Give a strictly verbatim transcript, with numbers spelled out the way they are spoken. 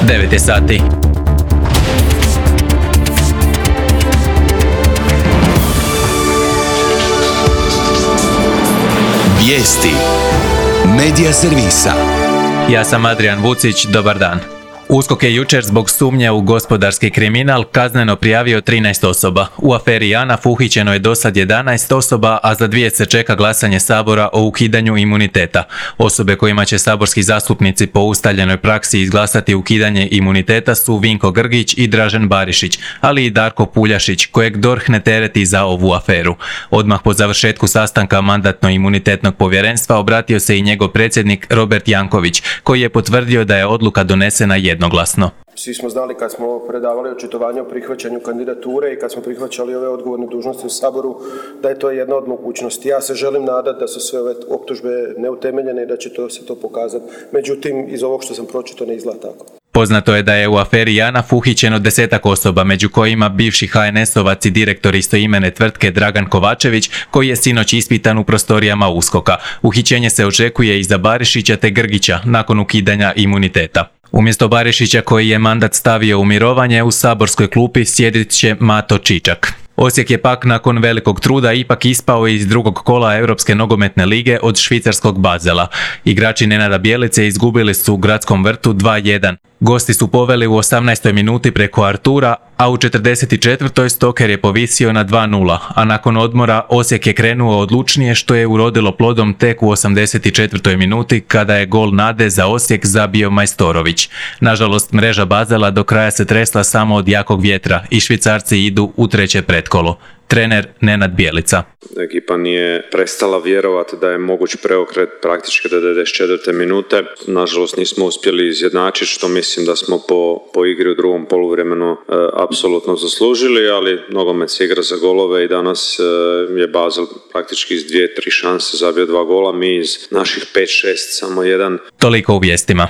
devet je sati. Vijesti Medija servisa. Ja sam Adrian Vucić, dobar dan. USKOK je jučer zbog sumnje u gospodarski kriminal kazneno prijavio trinaest osoba. U aferi JANAF uhićeno je dosad jedanaest osoba, a za dvije se čeka glasanje Sabora o ukidanju imuniteta. Osobe kojima će saborski zastupnici po ustaljenoj praksi izglasati ukidanje imuniteta su Vinko Grgić i Dražen Barišić, ali i Darko Puljašić, kojeg D O R H ne tereti za ovu aferu. Odmah po završetku sastanka Mandatno-imunitetnog povjerenstva obratio se i njegov predsjednik Robert Janković, koji je potvrdio da je odluka donesena jednoglasno. Jednoglasno. Svi smo znali kad smo predavali očitovanje o prihvaćanju kandidature i kad smo prihvaćali ove odgovorne dužnosti u Saboru, da je to jedna od mogućnosti. Ja se želim nadati da su sve ove optužbe neutemeljene i da će to se to pokazati. Međutim, iz ovog što sam pročitao ne izgleda tako. Poznato je da je u aferi JANAF uhićeno desetak osoba, među kojima bivši ha en esovac i direktor istoimene tvrtke Dragan Kovačević, koji je sinoć ispitan u prostorijama USKOK-a. Uhićenje se očekuje i za Barišića te Grgića nakon ukidanja imuniteta. Umjesto Barišića, koji je mandat stavio u mirovanje, u saborskoj klupi sjedit će Mato Čičak. Osijek je pak nakon velikog truda ipak ispao iz drugog kola Europske nogometne lige od švicarskog Basela. Igrači Nenada Bjelice izgubili su u Gradskom vrtu dva jedan. Gosti su poveli u osamnaestoj minuti preko Artura, a u četrdeset četvrtoj Stoker je povisio na dva nula, a nakon odmora Osijek je krenuo odlučnije, što je urodilo plodom tek u osamdeset četvrtoj minuti kada je gol nade za Osijek zabio Majstorović. Nažalost, mreža Basela do kraja se tresla samo od jakog vjetra i Švicarci idu u treće pretkolo. Trener Nenad Bjelica. Ekipa nije prestala vjerovati da je moguć preokret praktički do devedeset četvrte minute. Nažalost nismo uspjeli izjednačiti, što mislim da smo po, po igri u drugom poluvremenu e, apsolutno zaslužili, ali nogomet se igra za golove i danas e, je Basel praktički iz dvije, tri šanse zabio dva gola, mi iz naših pet šest samo jedan. Toliko u vijestima.